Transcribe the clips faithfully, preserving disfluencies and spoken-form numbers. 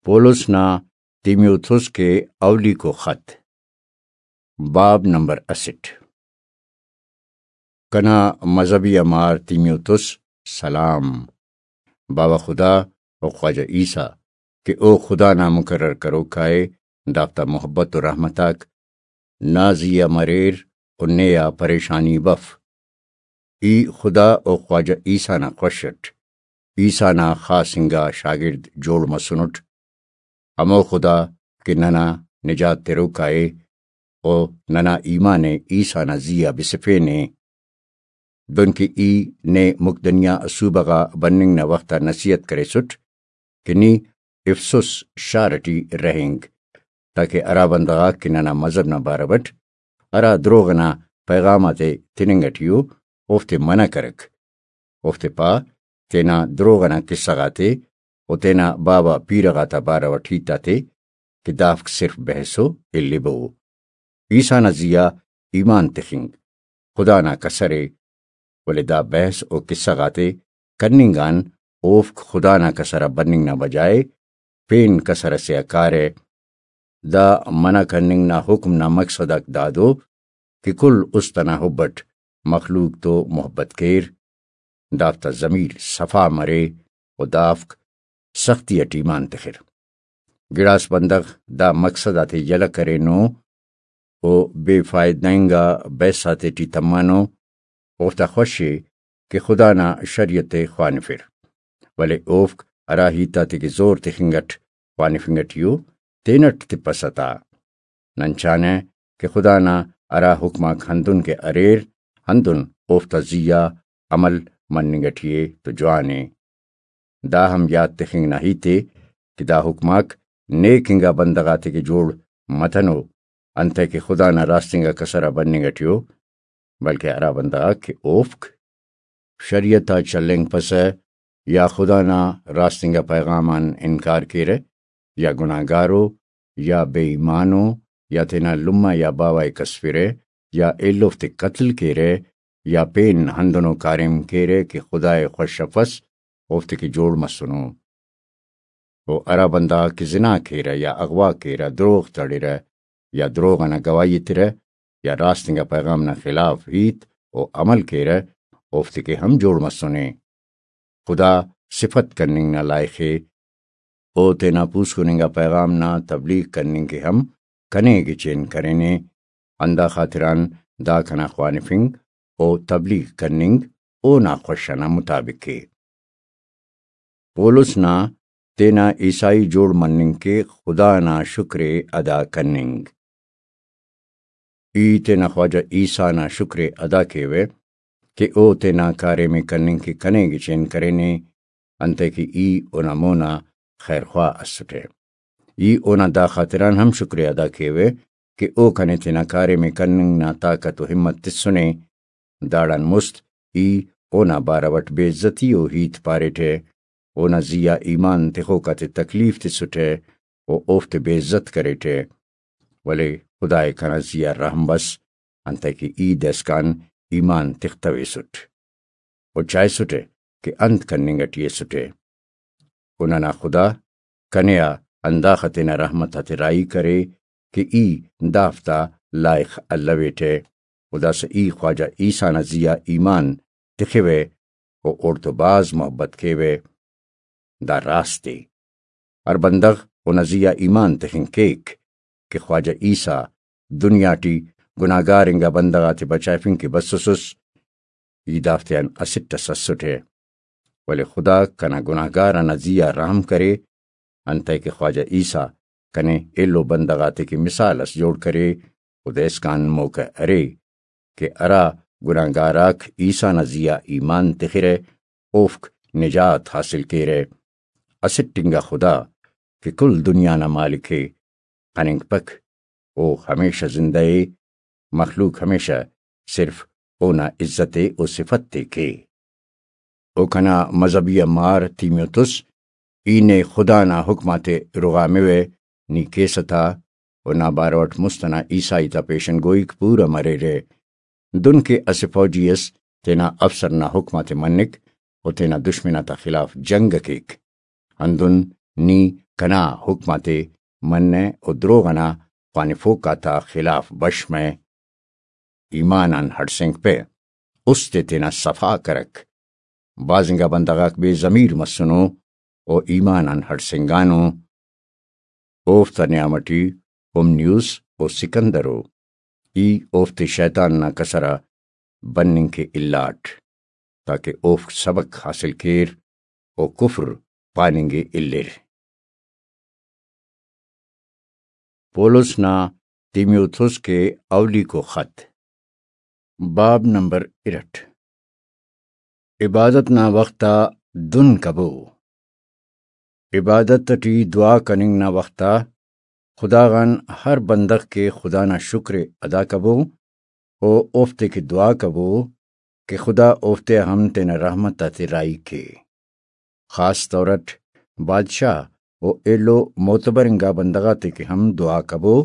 پولس نا تیمیوتھس کے اولیکو خط۔ باب نمبر اسٹ۔ کنا مذہبی امار تیمیوتھس سلام۔ باوہ خدا و خواجہ عیسیٰ کہ او خدا نا مقرر کروک آ ءِ، دافتا محبت و رحمت آک نا زی آ مریر و نے آ پریشانی بف۔ ای خدا و خواجہ عیسیٰ نا خوش اٹ، عیسیٰ نا خاص انگا شاگرد جوڑ مسنٹ۔ ہمو خدا کہ ننا نجات تروک آ ءِ و ننا ایمان ءِ عیسیٰ نا زی آ بسفینے۔ دنکہ ای نے مقدنیہ صوبہ غا بننگ نا وخت آ نصیحت کریسٹ کہ نی افسس شار ٹی رہینگ، تاکہ ہرا بندغ آک کہ ننا مذہب نا بارو اٹ ہرا دروغ ئنا پیغام آتے تننگ ٹی ءُ، اوفتے منع کرک۔ اوفتے پا تینا دروغ ئنا قصہ غاتے و تینا باوہ پیرہ غاتا بارو اٹ ہیت آتے کہ دافک صرف بحث و الیبو۔ عیسیٰ نا زی آ ایمان تخنگ خدا نا کسر ءِ، ولے دا بحث و قصہ غاتے کننگ آن اوفک خدا نا کسر آ بننگ نا بجائے پین کسر ئسے آ کارہ۔ دا منع کننگ نا حکم نا مقصد آک دادو کہ کل است ئنا حب اٹ مخلوق تو محبت کیر، دافتا ضمیر صفا مرے و دافک سختی اٹ ایمان تخر۔ گڑاس بندغ دا مقصد آتے یلہ کرینو و بے فائدہ انگا بحث آتے ٹی تمانو، اوفتا خوش ءِ کہ خدا نا شریعت ءِ خوانفر، ولے اوفک ہرا ہیت آتے کہ زور تخنگ اٹ خوانفنگ ٹی ءُ، تینٹ تپسہ تا۔ نن چانہ کہ خدا نا ہرا حکم آک ہندن کہ اریر، ہندن اوفتا زی آ عمل مننگ ٹی ءِ تو جوان ءِ۔ دا ہم یات تخنگ نا ہیت ءِ کہ دا حکم آک نیک انگا بندغ آتے کہ جوڑ متنو، انتئے کہ خدا نا راست انگا کسر آ بننگ ٹی ءُ، بلکہ ہرا بندغ آک کہ اوفک شریعت آ چلینگپسہ، یا خدا نا راست انگا پیغام آن انکار کیرہ، یا گناہگارو، یا بے ایمانو، یا تینا لمہ یا باوہ ءِ کسفرہ، یا ایلوفتے قتل کیرہ، یا پین ہندنو کاریم کیرہ کہ خدا ءِ خوش افس، اوفتے کہ جوڑ مسنو۔ و ہرا بندغ آک کہ زنا کیرہ یا اغوا کیرہ، دروغ تڑرہ یا دروغ ئنا گواہی ایترہ یا راست انگا پیغام نا خلاف ہیت و عمل کیرہ، اوفتے کہ ہم جوڑ مسنے۔ خدا صفت کننگ نا لائخ ءِ۔ او تینا پوسکن انگا پیغام نا تبلیغ کننگ کہ ہم کنے گچین کرینے، ہندا خاطران دا کنا خوانفنگ و تبلیغ کننگ اونا خوش ئنا مطابق ءِ۔ پولس نا تینا عیسائی جوڑ مننگ کہ خدا نا شکر ءِ ادا کننگ۔ ای تینا خواجہ عیسیٰ نا شکر ءِ ادا کیوہ کہ او تینا کاریم ءِ کننگ کہ کنے گچین کرینے، انتئے کہ ای اونا مونا خیرخواہ اسٹہ۔ ای اونا دا خاطران ہم شکر ءِ ادا کیوہ کہ او کنے تینا کاریم ءِ کننگ نا طاقت و ہمت تسنے۔ داڑان مست ای اونا بارو اٹ بے عزتی و ہیت پاریٹہ، اونا زی آ ایمان تخوک آتے تکلیف تسٹہ و اوفتے بے عزت کریٹہ، ولے خدا ءِ کنا زی آ رحم بس، انتئے کہ ای دائسکان ایمان تختویسٹ و چائسٹہ کہ انت کننگ ٹی ئسٹہ۔ و ننا خدا کنے آ ہنداخہ تینا رحمت آتے راہی کرے کہ ای دافتا لائخ الویٹہ، و داسہ ای خواجہ عیسیٰ نا زی آ ایمان تخوہ و اوڑتو بھاز محبت کیوہ۔ دا راست ءِ۔ ہر بندغ اونا زی آ ایمان تخنگ کیک کہ خواجہ عیسیٰ دنیا ٹی گناہگار انگا بندغ آتے بچائفنگ کہ بسوسس، ای دافتیان اسٹ اس اسٹہ، ولے خدا کنا گناہگار آ نا زی آ رحم کرے، انتئے کہ خواجہ عیسیٰ کنے ایلو بندغ آتے کہ مثال اس جوڑ کرے، و دائسکان موقع ارے کہ ہرا گناہگار آک عیسیٰ نا زی آ ایمان تخرہ، اوفک نجات حاصل کیرہ۔ اسٹ انگا خدا کہ کل دنیا نا مالک ءِ، خننگپک، او ہمیشہ زندہ ءِ، مخلوق ہمیشہ صرف اونا عزت ءِ و صفت ءِ کے۔ او کنا مذہبی آ مار تیمیوتس، ای نے خدا نا حکم آتے رغاموہ، نی کیسہ تا، و نا بارو اٹ مست ئنا عیسائی تا پیشن گوئیک پورہ مریرہ۔ دن کہ اسہ فوجی اس تینا افسر نا حکم آتے منک و تینا دشمن آتا خلاف جنگ ءِ کیک، ہندن نی کنا حکم آتے منہ و دروغ ئنا خوانفوک آتا خلاف بش مہ۔ ایمان آن ہڑسینگپہ، است ءِ تینا صفا کرک۔ بھاز انگا بندغ آک بے ضمیر مسنو و ایمان آن ہڑسینگانو۔ اوفتا نیام ٹی ہمنیوس و سکندر ءُ۔ ای اوفتے شیطان نا کسر آ بننگ کہ الاٹ، تاکہ اوفک سبق حاصل کیر و کفر پاننگ ءِ الر۔ پولس نا تیمیوتھوس کے اولیکو خط، باب نمبر ارٹھ۔ عبادت نا وخت آ دن کبو۔ عبادت ٹی دعا کننگ نا وخت آ خدا غان ہر بندغ کے خدا نا شکر ءِ ادا کبو و اوفتے کہ دعا کبو کہ خدا اوفتے ہم تینا رحمت آتے راہی کے۔ خاص طور اٹ بادشاہ و ایلو معتبر انگا بندغ آتے کہ ہم دعا کبو،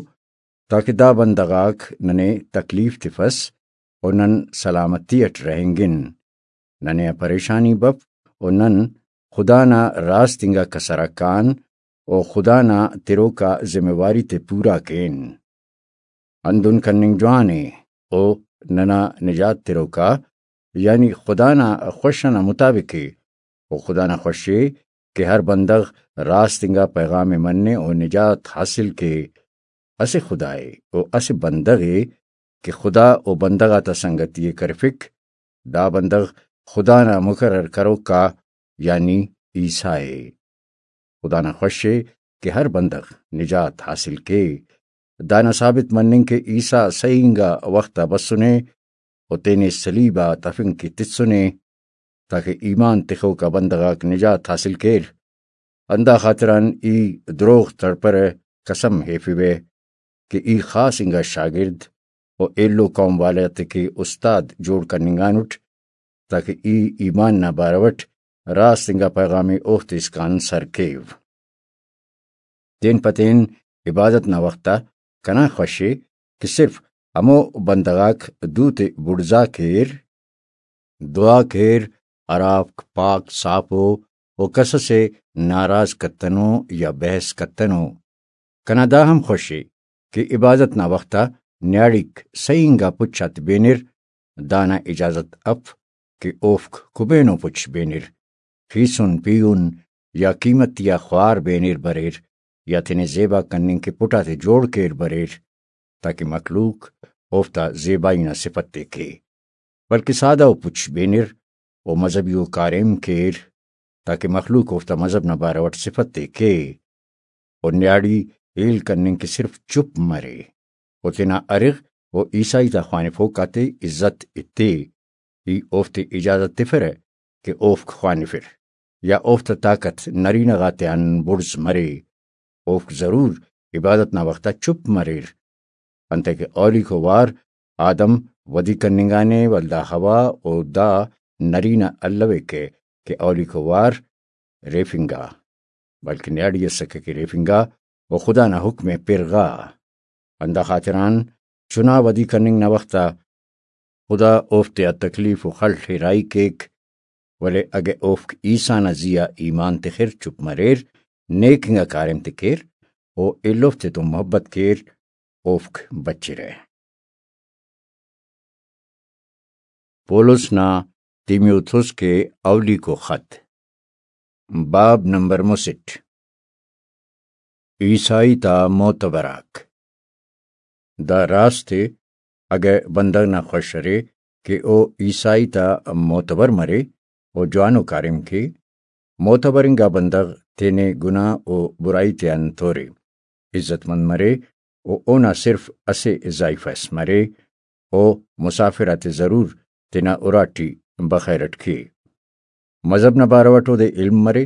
تاکہ دا بندغ آک ننے تکلیف تفس و نن سلامتی اٹ رہینگن۔ ننے آ پریشانی بف و نن خدا نا راست انگا کسر آ کان و خدا نا تروکا ذمہ واری تے پورا کین۔ ہندن کننگ جوان ءِ۔ او ننا نجات تروکا، یعنی خدا نا خوش ئنا مطابق ءِ۔ او خدا نا خوش ءِ کہ ہر بندغ راست انگا پیغام ءِ منے و نجات حاصل کے۔ اسہ خدا ءِ و اسہ بندغ ءِ کہ خدا و بندغ آتا سنگتی ءِ کرفک۔ دا بندغ خدا نا مقرر کروک آ، یعنی عیسیٰ ءِ۔ خدا نا خوش ءِ کہ ہر بندغ نجات حاصل کے۔ دانا ثابت مننگ کہ عیسیٰ سہی انگا وخت آ بسنے و تینے صلیب آ تفنگ کہ تسنے، تاکہ ایمان تخوکا بندغ آک نجات حاصل کیر۔ ہندا خاطران ای دروغ تڑپرہ، قسم ہیفوہ کہ ای خاص انگا شاگرد و ایلو قوم والے آتے کہ استاد جوڑ کننگانٹ، تاکہ ای ایمان نا بارو اٹ راست انگا پیغام ءِ اوفتے اسکان سر کیو۔ تین پہ تین عبادت نا وخت آ کنا خوش ءِ کہ صرف ہمو بندغ آک دوتے بڑزا کیر، دعا کیر، ہرافک پاک صاف ءُ و کس اسے ناراض کتنو یا بحث کتنو۔ کنا دا ہم خوش ءِ کہ عبادت نا وخت آ نیاڑیک سہی انگا پچ آتے بینر، دانا اجازت اف کہ اوفک کبینو پچ بینر، خیسن پیہن یا قیمتی آ خوار بینر بریر، یا تینے زیبا کننگ کہ پٹ آتے جوڑ کیر بریر، تاکہ مخلوق اوفتا زیبائی نا صفت ءِ کے، بلکہ سادہ ءُ پچ بینر و مذہبی ءُ کاریم کیر، تاکہ مخلوق اوفتا مذہب نا بارو اٹ صفت ءِ کے۔ و نیاڑی ہیل کننگ کہ صرف چپ مرے و تینا ارغ و عیسائی تا خوانفوک آتے عزت ایتے۔ ای اوفتے اجازت تفرہ کہ اوفک خوانفر، یا اوفتا طاقت نرینہ غاتیان بڑز مرے۔ اوفک ضرور عبادت نا وخت آ چپ مریر، انتئے کہ اولیکو وار آدم ودی کننگانے، ولدا حوا و دا نرینہ الویکہ کہ اولیکو وار ریفنگا، بلکہ نیاڑی اسکہ کہ ریفنگا و خدا نا حکم ءِ پرغا۔ ہندا خاطران چنا ودی کننگ نا وخت آ خدا اوفتے آ تکلیف و خڑ ءِ راہی کیک، ولے اگہ اوفک عیسیٰ نا زی آ ایمان تخر، چپ مریر، نیک انگا کاریم تے کیر و ایلوفتے تون محبت کیر، اوفک بچرہ۔ پولس نا تیمیوتھوس کے اولیکو خط، باب نمبر مسٹ۔ عیسائی تا معتبر آک۔ دا راست ءِ، اگہ بندغ نا خوش ارے کہ او عیسائی تا معتبر مرے و جوانو کاریم کے، معتبر انگا بندغ تینے گناہ و برائی تیان تورے، عزت مند مرے و اونا صرف اسہ زائیفہ اس مرے و مسافر آتے ضرور تینا اراٹی بخیر اٹ کے۔ مذہب نا بارو اٹ اودے علم مرے،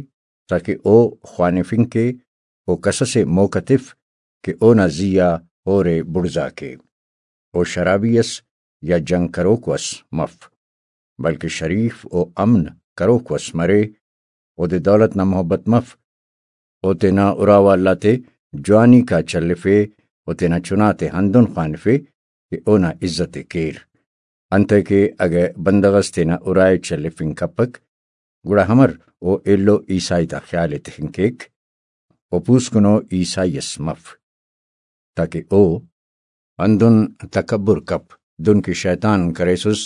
تاکہ او خوانفنگ کے و کس اسے موقع تف کہ اونا زی آ اورے بڑزا کے۔ او شرابی اس یا جنگ کروکو اس مف، بلکہ شریف و امن کروکو اس مرے۔ اودے دولت نا محبت مف، او تینا اراوال آتے جوانیکا چلفے و تینا چناتے ہندن خوانفے کہ اونا عزت ءِ کیر۔ انتئے کہ اگہ بندغ اس تینا ارائے چلفنگ کپک، گڑا امر او ایلو عیسائی تا خیال ءِ تخنگ کیک؟ و پوسکنو عیسائی اس مف، تاکہ او ہندن تکبر کپ، دن کہ شیطان کریسس،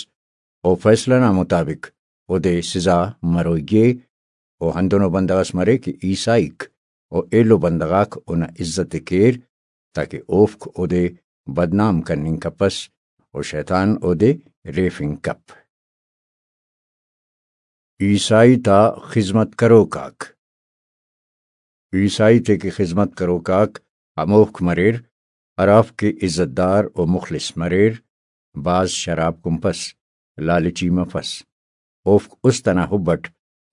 او فیصلہ نا مطابق اودے سزا مروئی ءِ۔ او ہندنو بندغ اس مرے کہ عیسائیک و ایلو بندغ آک اونا عزت ءِ کیر، تاکہ اوفک اودے بدنام کننگ کپس و شیطان اودے ریفنگ کپ۔ عیسائی تا خذمت کروک آک۔ عیسائی تے کہ خذمت کروک آک ہموفک مریر، ہرافک کہ عزت دار و مخلص مریر، بھاز شراب کنپس، لالچی مفس۔ اوفک است ئنا حب اٹ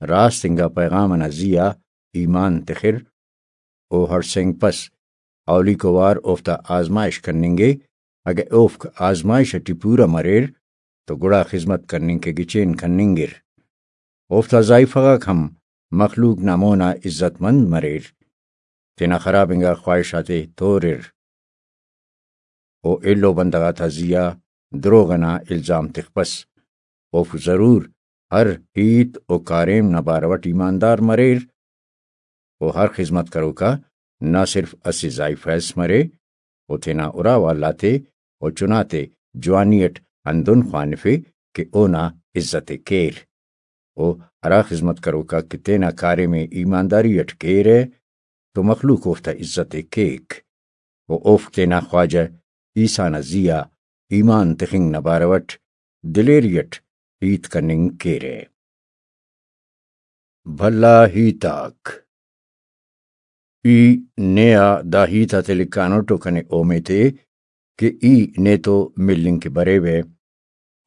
راست انگا پیغام ئنا زی آ ایمان تخر، او ہڑسینگپس۔ اولیکو وار اوفتا آزمائش کننگے، اگہ اوفک آزمائش اٹی پورہ مریر تو گڑا خذمت کننگ کہ گچین کننگر۔ اوفتا زائیفہ غاک ہم مخلوق نا مونا عزت مند مریر، تینا خراب انگا خواہش آتے تورر۔ او ایلو بندغ آتا زی آ دروغ ئنا الزام تخپس۔ اوفک ضرور ہر ہیت و کاریم نا بارو اٹ ایماندار مریر۔ و ہر خذمت کروکا نہ صرف اسہ زائیفہ اس مرے، او تینا ارا والاتے و چناتے جوانی اٹ ہندن خوانفے کہ اونا عزت ءِ کیر۔ و ہرا خذمت کروکا کہ تینا کاریم ءِ ایمانداری اٹ کیرہ، تو مخلوق اوفتا عزت ءِ کیک و اوفک تینا خواجہ عیسیٰ نا زی آ ایمان تخنگ نا بارو اٹ دلیری اٹ ہیت کننگ کیرہ۔ بھلا ہیت آک۔ ای نے آ دا ہیت آتے لکھانٹ و کنے اومیت ءِ کہ ای نیتو ملنگ کہ بریوہ۔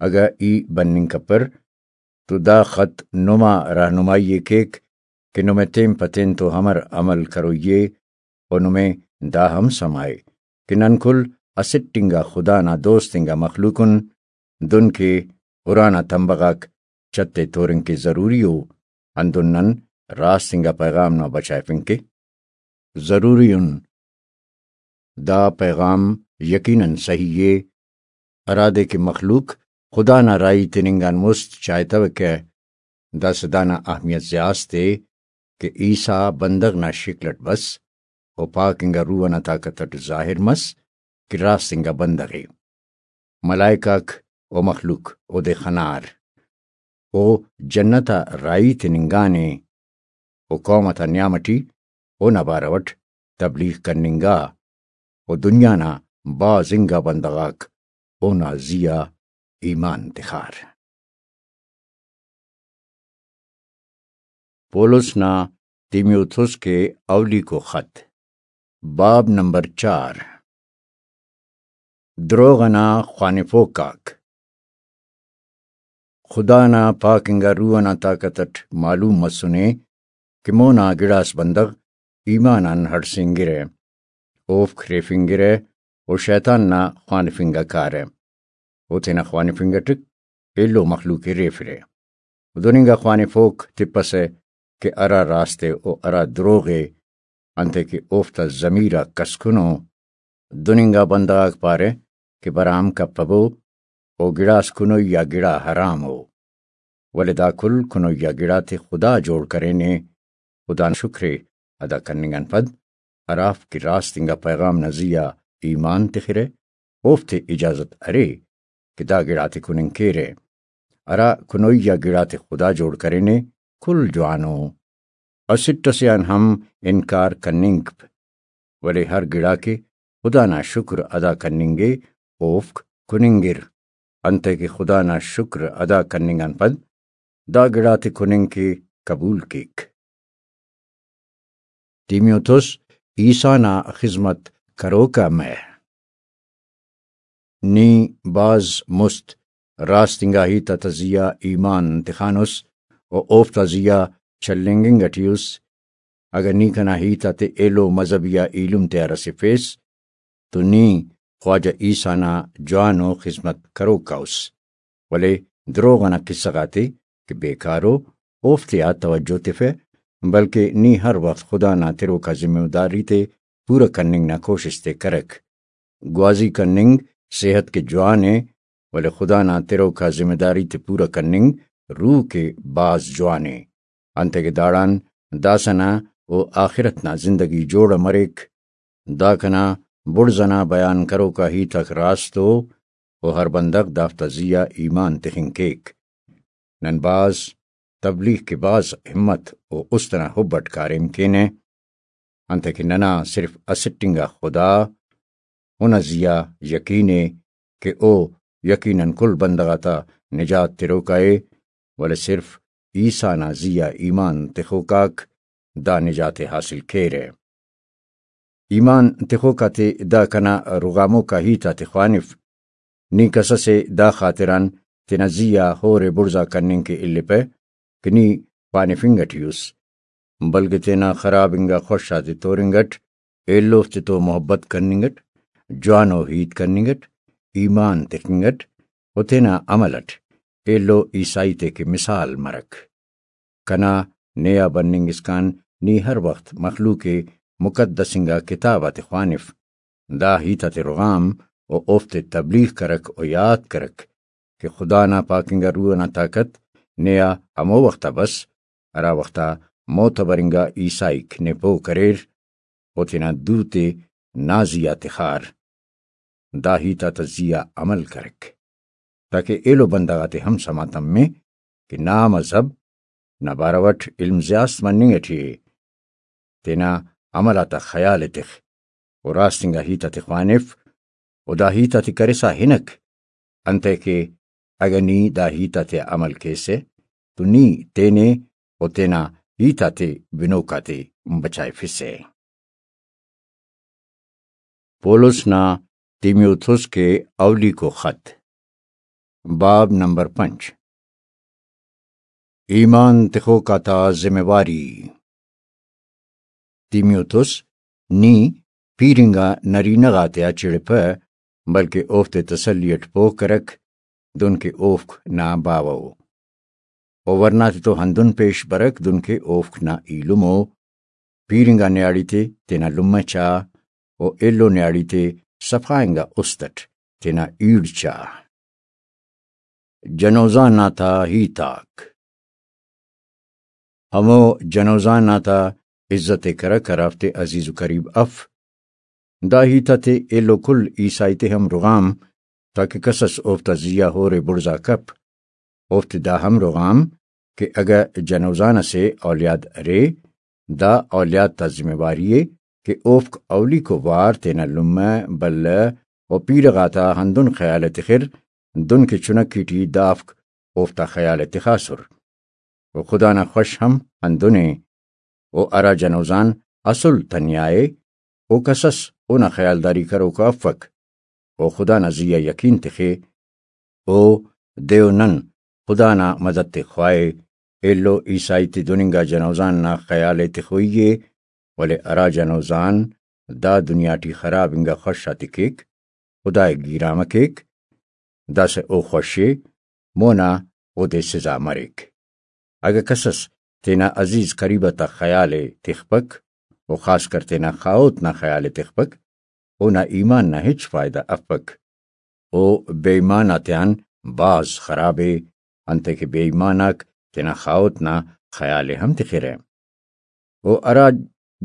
اگہ ای بننگ کپر تو دا خط نما راہنمائی ءِ کیک کہ نمے تین پہ تین تو امر عمل کروئی ءِ، و نمے دا ہم سما ءِ کہ نن کل اسٹ انگا خدا نا دوست انگا مخلوق ان، دن کہ ارا نا تمبہ غاک چت ءِ تورنگ کہ ضروری ءُ، ہندن نن راست انگا پیغام نا بچائفنگ کہ ضروری ان۔ دا پیغام یقیناً صحیح ءِ، ہرادے کہ مخلوق خدا نا راہی تننگ آن مست چائتوکہ۔ داسہ دانا اہمیت زیاست ءِ کہ عیسیٰ بندغ نا شکل اٹ بس و پاک انگا روح ئنا طاقت اٹ ظاہر مس کہ راست انگا بندغ ءِ۔ ملائک آک و مخلوق اودے خنار۔ او جنت آ راہی تننگانے و قوم آتا نیام اٹی اونا بارو اٹ تبلیغ کننگا و دنیا نا بھاز انگا بندغ آک اونا زی آ ایمان تخار۔ پولس نا تیمیوتھوس کے اولیکو خط، باب نمبر چار۔ دروغ ئنا خوانفوک آک۔ خدا نا پاک انگا روح ئنا طاقت اٹ معلوم مسنے کہ مونا گڑاس بندغ ایمان آن ہڑسینگرہ، اوفک ریفنگرہ و شیطان نا خوانفنگ آ کارہ۔ او تینا خوانفنگ اٹ ایلو مخلوق ءِ ریفرہ۔ دن انگا خوانفوک تپسہ کہ ہرا راست ءِ و ہرا دروغ ءِ، انتئے کہ اوفتا ضمیر آک کسکنو۔ دن انگا بندغ آک پارہ کہ برام کپبو، او گڑاس کنوئی آ گڑا حرام ءُ۔ ولے دا کل کنوئی آ گڑاتے خدا جوڑ کرینے۔ خدا نا شکر ءِ ادا کننگ آن پد ہرافک کہ راست انگا پیغام نا زی آ ایمان تخرہ، اوفتے اجازت ارے کہ دا گڑاتے کننگ کیرہ۔ ہرا کنوئی آ گڑاتے خدا جوڑ کرینے، کل جوانو۔ اسٹ ئسے آن ہم انکار کننگپ، ولے ہر گڑا کہ خدا نا شکر ادا کننگے، اوفک کننگر، انتئے کہ خدا نا شکر ادا کننگ آن پد دا گڑاتے کننگ کہ قبول کیک۔ تیمیوتھوس عیسیٰ نا خذمت کروک آ مہ۔ نی بھاز مست راست انگا ہیت آتا زی آ ایمان تخانس و اوفتا زی آ چلینگنگ اٹی اس۔ اگہ نی کنا ہیت آتے ایلو مذہبی آ ایلم تیار اسفیس تو نی خواجہ عیسیٰ نا جوانو خذمت کروک آ اس۔ ولے دروغ ئنا قصہ غاتے کہ بیکارو، اوفتے آ توجہ تفہ، بلکہ نی ہر وخت خدا نا تروکا ذمہ داری تے پورہ کننگ نا کوشست ءِ کرک۔ گوازی کننگ صحت کہ جوان ءِ، ولے خدا نا تروکا ذمہ داری تے پورہ کننگ روح کہ بھاز جوان ءِ۔ انتئے کہ داڑان داسہ نا و آخرت نا زندگی جوڑ مریک۔ دا کنا بڑز ئنا بیان کروکا ہیت آک راست ءُ، و ہر بندغ دافتا زی آ ایمان تخنگ کیک۔ نن بھاز تبلیغ کہ بھاز ہمت و است ئنا حب اٹ کاریم کینہ، انتئے کہ ننا صرف اسٹ انگا خدا اونا زی آ یقین ءِ کہ او یقیناً کل بندغ آتا نجات تروکا ءِ، ولے صرف عیسیٰ نا زی آ ایمان تخوکاک دا نجات ءِ حاصل کیرہ۔ ایمان تخوک آتے دا کنا رغاموکا ہیت آتے خوانف۔ نی کس ئسے دا خاطران تینا زی آ ہور ءِ بڑزا کننگ کہ الیپہ کہ نی پانفنگ ٹی اُس، بلکہ تینا خراب انگا خوش آتے تورنگ اٹ، ایلوفتے تو محبت کننگ اٹ، جوانو ہیت کننگ اٹ، ایمان تخنگ اٹ و تینا عمل اٹ ایلو عیسائی تے کہ مثال مرک۔ کنا نے آ بننگ اسکان نی ہر وخت مخلوق مقدس انگا کتاب آتے خوانف، دا ہیت آتے رغام و اوفتے تبلیغ کرک و یات کرک کہ خدا نا پاک انگا روح ئنا طاقت نے آ ہمو وخت آ بس، ہرا وخت آ معتبر انگا عیسائیک نے پہہ کریر و تینا دو تے نا زی آ تخار۔ دا ہیت آتا زی آ عمل کرک، تاکہ ایلو بندغ آتے ہم سما تمے کہ نا مذہب نا بارو اٹ علم زیات مننگ اٹی ءِ۔ تینا عمل آتا خیال ءِ تخ و راست انگا ہیت آتے خوانف و دا ہیت آتے کرسا ہنک، انتئے کہ اگہ نی دا ہیت آتیا عمل کیسہ تو نی تینے و تینا ہیت آتے بنوک آتے بچائفسہ۔ پولس نا تیمیوتھوس کے اولیکو خط، باب نمبر پنچ۔ ایمان تخوک آتا ذمہ واری۔ تیمیوتھوس، نی پیر انگا نرینہ غاتیا چڑپہ، بلکہ اوفتے تسلی اٹ پوہ کرک، دن کہ اوفک نا باوہ ءُ۔ و ورنا تتو ہندن پیش برک، دن کہ اوفک نا ایلم ءُ۔ پیر انگا نیاڑی تے تینا لمہ چا، و ایلو نیاڑی تے صفا انگا است اٹ تینا ایڑ چا۔ جنوزان آتا ہیت آک۔ ہمو جنوزان آتا عزت ءِ کرک ہرافتے عزیز و قریب اف۔ دا ہیت آتے ایلو کل عیسائی تے ہم رغام، تاکہ کسس اوفتا زی آ ہور ءِ بڑزا کپ۔ اوفتے دا ہم رغام کہ اگہ جنوزان اسے اولیاد ارے، دا اولیاد تا ذمہ واری ءِ کہ اوفک اولیکو وار تینا لمہ، بلہ و پیرہ غاتا ہندن خیال ءِ تخر، دن کہ چنکی ٹی دافک اوفتا خیال ءِ تخاسر۔ و خدا نا خوش ہم ہندن ءِ۔ و ہرا جنوزان اسل تنیا ءِ، او کسس اونا خیالداری کروکا افک۔ او خدا نا زی آ یقین تخے۔ او دے و نن خدا نا مدد تے خواہے۔ ایلو عیسائی تے دن انگا جنوزان نا خیال ءِ تخوئی ءِ، ولے ہرا جنوزان دا دنیا ٹی خراب انگا خوش آتے کیک، خدا ءِ گیرامہ کیک، داسہ او خوش ءِ، مونا اودے سزا مریک۔ اگہ کسس تینا عزیز قریب آتا خیال ءِ تخپک، و خاص کر تینا خاہوت نا خیال ءِ تخپک، اونا ایمان نا ہچ فائدہ افک۔ او بے ایمان آتیان بھاز خراب ءِ، انتئے کہ بے ایمان آک تینا خاہوت نا خیال ءِ ہم تخرہ۔ و ہرا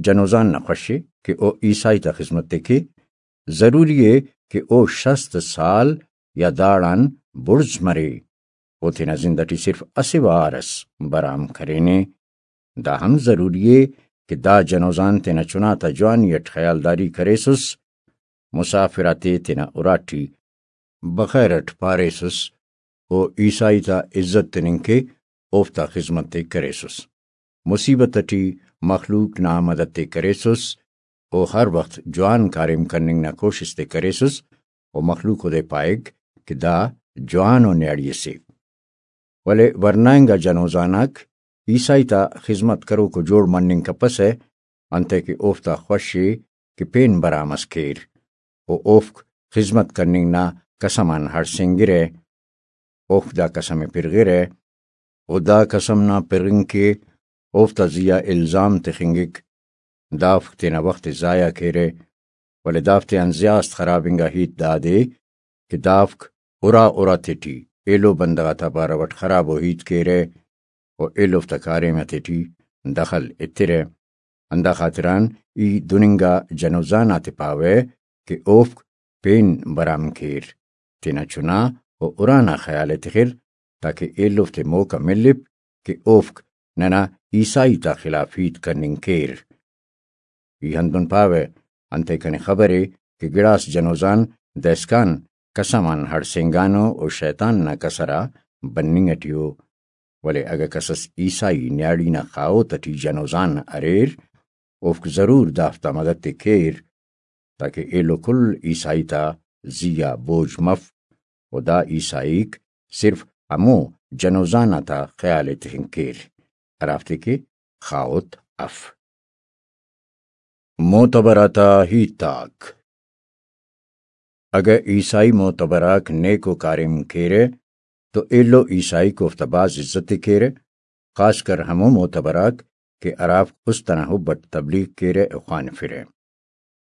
جنوزان نا خوش ءِ کہ او عیسائی تا خذمت ءِ کے، ضروری ءِ کہ او شست سال یا داڑان بڑز مرے، او تینا زند اٹی صرف اسہ وار اس برام کرینے۔ دا ہم ضروری ءِ کہ دا جنوزان تینا چنا تا جوانی اٹ خیالداری کریسس، مسافر آتے تینا اراٹی بخیر اٹ پاریسس، و عیسائی تا عزت تننگ کے اوفتا خذمت ءِ کریسس، مصیبت اٹی مخلوق نا مدد ءِ کریسس، و ہر وخت جوان کاریم کننگ نا کوشست ءِ کریسس، و مخلوق اودے پائک کہ دا جوان و نیاڑی اسے۔ ولے ورنا انگا جنوزان آک عیسائی تا خذمت کروک و جوڑ مننگ کپسہ، انتئے کہ اوفتا خوش ءِ کہ پین برام اس کیر، و اوفک خذمت کننگ نا قسم آن ہڑسینگرہ۔ اوفک دا قسم ءِ پرغرہ، و دا قسم نا پرغنگ کے اوفتا زی آ الزام تخنگک، دافک تینا وخت ءِ ضائع کیرہ، ولے دافتیان زیات خراب انگا ہیت دادے کہ دافک ارا ارا تیٹی ایلو بندغ آتا بارو اٹ خرابو ہیت کیرہ و ایلوفتا کاریم آتیٹی دخل ایترہ۔ ہندا خاطران ای دن انگا جنوزان آتے پاوہ کہ اوفک پین برام کیر، تینا چنا و ارانا خیال ءِ تخر، تاکہ ایلو تے موقع ملپ کہ اوفک ننا عیسائی تا خلاف ہیت کننگ کیر۔ ای ہندن پاوہ، انتئے کنے خبر ءِ کہ گڑاس جنوزان دائسکان قسم آن ہڑسینگانو و شیطان نا کسر آ بننگ ٹی ءُ، ولے اگہ کسس عیسائی نیاڑی نا خاہوت ٹی جنوزان اریر، اوفک ضرور دافتا مدد تے کیر، تاکہ ایلو کل عیسائی تا زی آ بوجھ مف، و دا عیسائیک صرف ہمو جنوزان آتا خیال ءِ تخنگ کیر، ہرافتے کہ خاہوت اف۔ معتبر آتا ہیت آک۔ اگہ عیسائی معتبر آک نیکو کاریم کیرہ تو ایلو عیسائیک اوفتا بھاز عزت ءِ کیرہ، خاص کر ہمو معتبر آک کہ ہرافک است ئنا حب اٹ تبلیغ کیرہ و خوانفرہ۔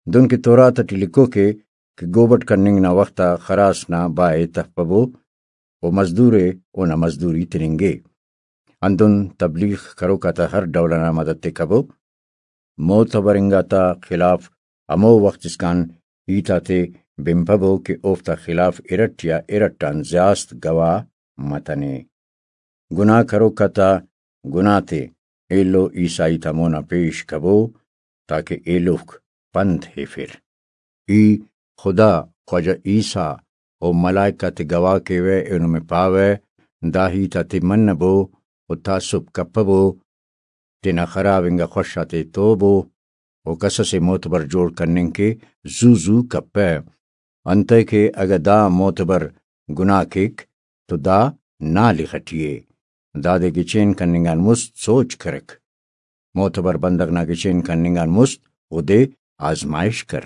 دنکہ تورات ٹی لکھوک ءِ کہ گوبٹ کننگ نا وخت آ خراس نا با ءِ تفبو و مزدور ءِ اونا مزدوری تننگے۔ ہندن تبلیغ کروک آتا ہر ڈول ئنا مدد تے کبو۔ معتبر انگا تا خلاف ہمو وخت اسکان ہیت آتے بنپبو کہ اوفتا خلاف ارٹ یا ارٹ آن زیاست گواہ متنے۔ گناہ کروک آتا گناہ تے ایلو عیسائی تا مونا پیش کبو، تاکہ ایلوفک پند ہیفر۔ ای خدا، خواجہ عیسیٰ و ملائکہ تے گواہ کیوہ، ایہن نمے پاوہ، دا ہیت آتے منبو و تعصب کپبو، تینا خراب انگا خوش آتے توبو و کسسے معتبر جوڑ کننگ کہ زو زو کپہ۔ انتئے کہ اگہ دا معتبر گناہ کیک تو دا نالخ ٹی ءِ۔ دادے گچین کننگ آن مست سوچ کرک۔ معتبر بندغ نا گچین کننگ آن مست اودے آزمائش کر،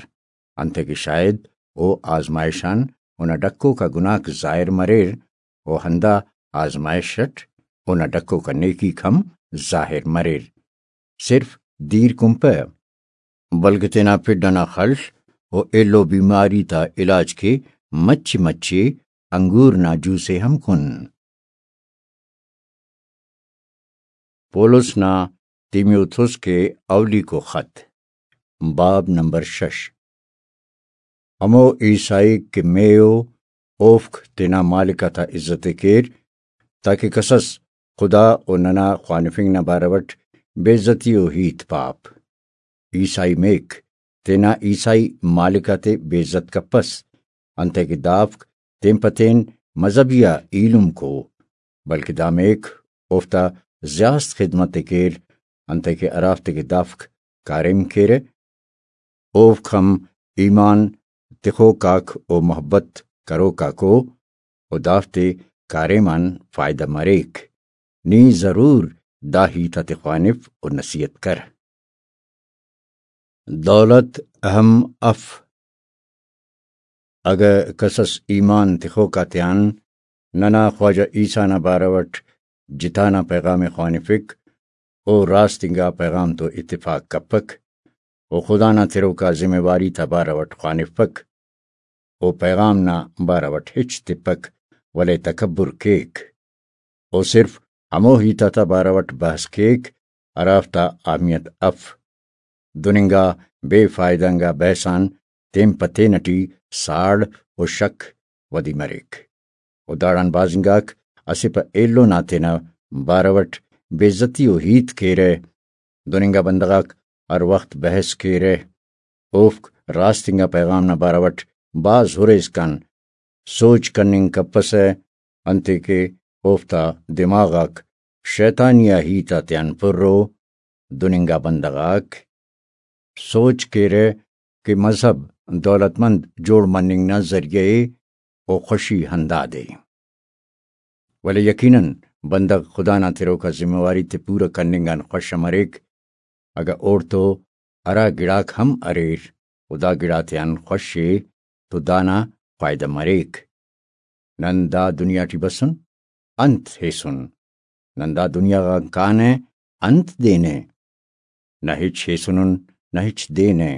انتئے کہ شاید او آزمائش آن اونا ڈکوک آ گناہک ظاہر مریر و ہندا آزمائش اٹ اونا ڈکوک آ نیکیک ہم ظاہر مریر۔ صرف دیر کنپہ، بلکہ تینا پڈ ئنا خڷ و ایلو بیماری تا علاج کے مچے مچے انگور نا جوس ءِ ہم کن۔ پولس نا تیمیوتھوس کے اولیکو خط، باب نمبر شش۔ ہمو عیسائیک کہ مے ءُ، اوفک تینا مالک آتا عزت ءِ کیر، تاکہ کسس خدا و ننا خوانفنگ نا بارو اٹ بے عزتی و ہیت پاپ۔ عیسائی میک تینا عیسائی مالک آتے بے عزت کپس، انتئے کہ دافک تین پہ تین مذہبی آ ایلم کو، بلکہ دا میک اوفتا زیاست خدمت ءِ کیر، انتئے کہ ہرافتے کہ دافک کاریم کیرہ، اوفک ہم ایمان تخوک آک و محبت کروک آک ءُ، و دافتے کاریم آن فائدہ مریک۔ نی ضرور دا ہیت آتے خوانف و نصیحت کر۔ دولت اہم اف۔ اگہ کسس ایمان تخوک آتیان ننا خواجہ عیسیٰ نا بارو اٹ جتا نا پیغام ءِ خوانفک، او راست انگا پیغام تو اتفاق کپک، او خدا نا تروکا ذمہ واری تا بارو اٹ خوانفک، او پیغام نا بارو اٹ ہچ تپک، ولے تکبر کیک۔ او صرف ہمو ہیت آتا بارو اٹ بحث کیک، ہرافتا اہمیت اف۔ دن انگا بے فائدہ انگا بحث آن تین پہ تین ٹی ساڑ و شک ودی مریک۔ و داڑان بھاز انگاک اسہ پہ ایلو نا تینا بارو اٹ بے عزتی و ہیت کیرہ۔ دن انگا بندغ آک ہر وخت بحث کیرہ۔ اوفک راست انگا پیغام نا بارو اٹ بھاز ہُرے اسکان سوچ کننگ کپسہ، انتئے کہ اوفتا دماغ آک شیطانی آ ہیت آتیان پُر ءُ۔ دن انگا بندغ آک سوچ کیرہ کہ مذہب دولت مند جوڑ مننگ نا ذریعہ ءِ و خوشی ہندادے۔ ولے یقیناً بندغ خدا نا تروکا ذمہ واری تے پورہ کننگ آن خوش مریک، اگہ اوڑتو ہرا گڑاک ہم اریر و دا گڑاتیان خوش ءِ تو دانا فائدہ مریک۔ نن دا دنیا ٹی بسن، انت ہیسن؟ نن دا دنیا غان کانہ، انت دینہ؟ نہ ہچ ہیسنن، نہ ہچ دینہ،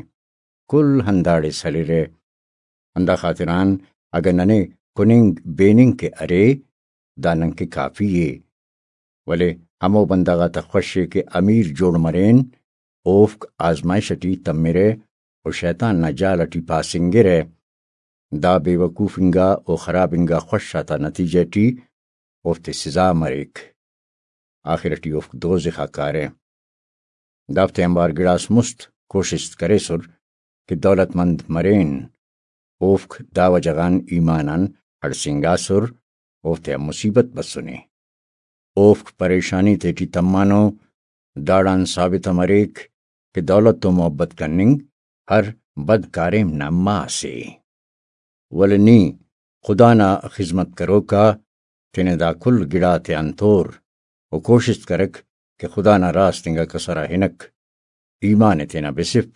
کل ہنداڑے سلرہ۔ ہندا خاطران اگہ ننے کننگ بیننگ کہ ارے، دا ننکہ کافی ءِ۔ ولے ہمو بندغ آتا خوش ءِ کہ امیر جوڑ مرین، اوفک آزمائش ٹی تمرہ و شیطان نا جال ٹی پاسنگرہ۔ دا بے وقوف انگا و خراب انگا خوش آتا نتیجہ ٹی اوفتے سزا مریک۔ آخر ٹی اوفک دوزخ آ کارہ۔ دافتے آنبار گڑاس مست کوشست کریسر کہ دولت مند مرین۔ اوفک دا وجہ غان ایمان آن ہڑسینگاسر، اوفتیا مصیبت بسنے۔ اوفک پریشانی تیٹی تمانو، داڑان ثابت ء مریک کہ دولت تو محبت کننگ ہر بد کاریم نا ماس ء۔ ولے نی خدا نا خذمت کروک آ تینے دا کل گڑاتیان تور و کوشست کرک کہ خدا نا راست انگا کسر آ ہنک، ایمان ء تینا بسف،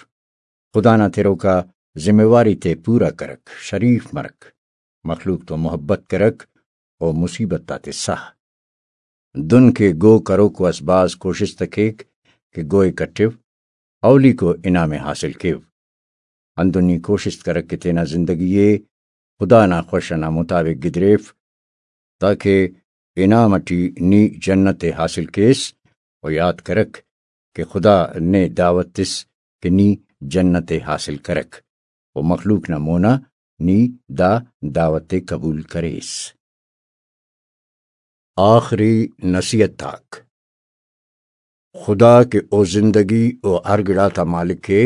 خدا نا تروک آ ذمہ واری تے پورا کرک، شریف مرک، مخلوق تو محبت کرک و مصیبت آتے ساہ۔ دن کہ گو کروکو اس بھاز کوشست ء کیک کہ گو ء کٹو، اولیکو انعام ء حاصل کیو۔ ہندن نی کوشست کرک کہ تینا زندگی ء خدا نا خوش انا مطابق گدریف، تاکہ انعام اٹی نی جنت ء حاصل کیس، و یات کرک کہ خدا نے دعوت تس کہ نی جنت ء حاصل کرک، و مخلوق نا مونا نی دا دعوت ء قبول کریس۔ آخری نصیحت آک۔ خدا کہ او زندگی و ہر گڑاتا مالک ء،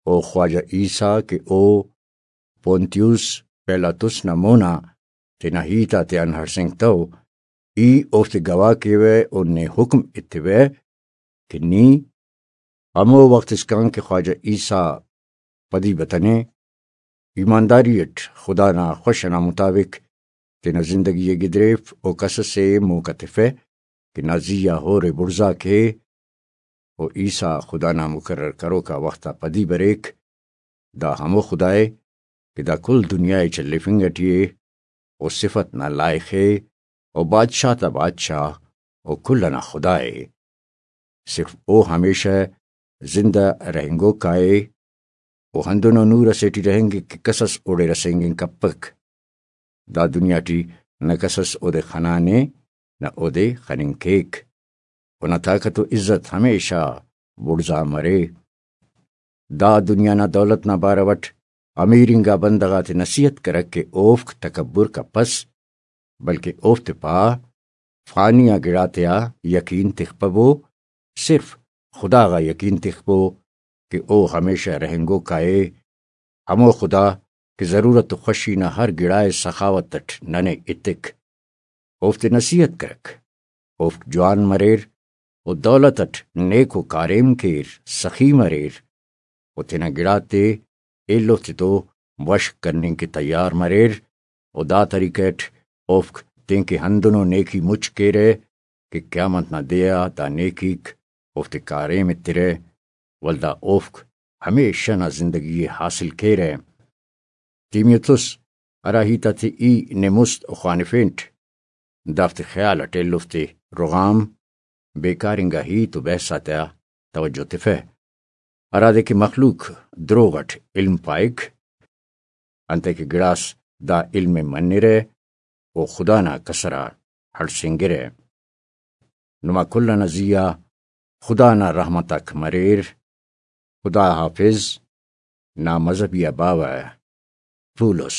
او خواجہ عیسیٰ کہ او پونتیوس پیلاطس نا مونا تینا ہیت آتیان ہڑسینگتو، ای اوفتے گواہ کیوہ و نے حکم ایتیوہ کہ نی ہمو وخت اسکان کہ خواجہ عیسیٰ پدی بتنے، ایمانداری اٹ خدا نا خوش انا مطابق تینا زندگی ء گدریف و کس اسے موقع تفہ کہ نا زی آ ہورے بڑزا کے و عیسیٰ خدا نا مقرر کروکا وخت آ پدی بریک۔ دا ہمو خدا ء کہ دا کل دنیا ء چلیفنگ اٹی ء، و صفت نا لائخ ء، و بادشاہ تا بادشاہ، و کل انا خدا ء۔ صرف او ہمیشہ زندہ رہینگوک آ ء، و ہندنو نور اسے ٹی رہینگک کہ کسس اوڑے رسینگنگ کپک۔ دا دنیا ٹی نہ کسس اودے خنانے، نہ اودے خننگ کیک۔ اونا طاقت و عزت ہمیشہ بڑزا مرے۔ دا دنیا نا دولت نا بارو اٹ امیر انگا بندغ آتے نصیحت کرک کہ اوفک تکبر کپس، بلکہ اوفتے پا، فانی آ گڑاتیا یقین تخپبو، صرف خدا غا یقین تخپو کہ او ہمیشہ رہینگوک آ ء، ہمو خدا کہ ضرورت و خوشی نا ہر گڑا ء سخاوت اٹ ننے ایتک۔ اوفتے نصیحت کرک، اوفک جوان مریر و دولت اٹ نیکو کاریم کیر، سخی مریر و تینا گڑاتے ایلو تتو وشک کننگ کہ تیار مریر و دا طریقہ اٹ اوفک تینکہ ہندنو نیکی مچ کیرہ کہ قیامت نا دے آ دا نیکیک اوفتے کاریم ایترہ، ولدا اوفک ہمیشہ نا زندگی ء حاصل کیرہ۔ تیمیوتس ہرا ہیت آتے ای نے مست خوانفینٹ، دافتے خیال اٹ ایلوفتے رغام، بیکار انگا ہیت و بحث آتیا توجہ تفہ، ہرادے کہ مخلوق دروغ اٹ علم پائک، انتئے کہ گڑاس دا علم ء منرہ و خدا نا کسر آ ہڑسینگرہ۔ نما کل انا زی آ خدا نا رحمت آک مریر۔ خدا حافظ۔ نا مذہبی آ باوہ پولس۔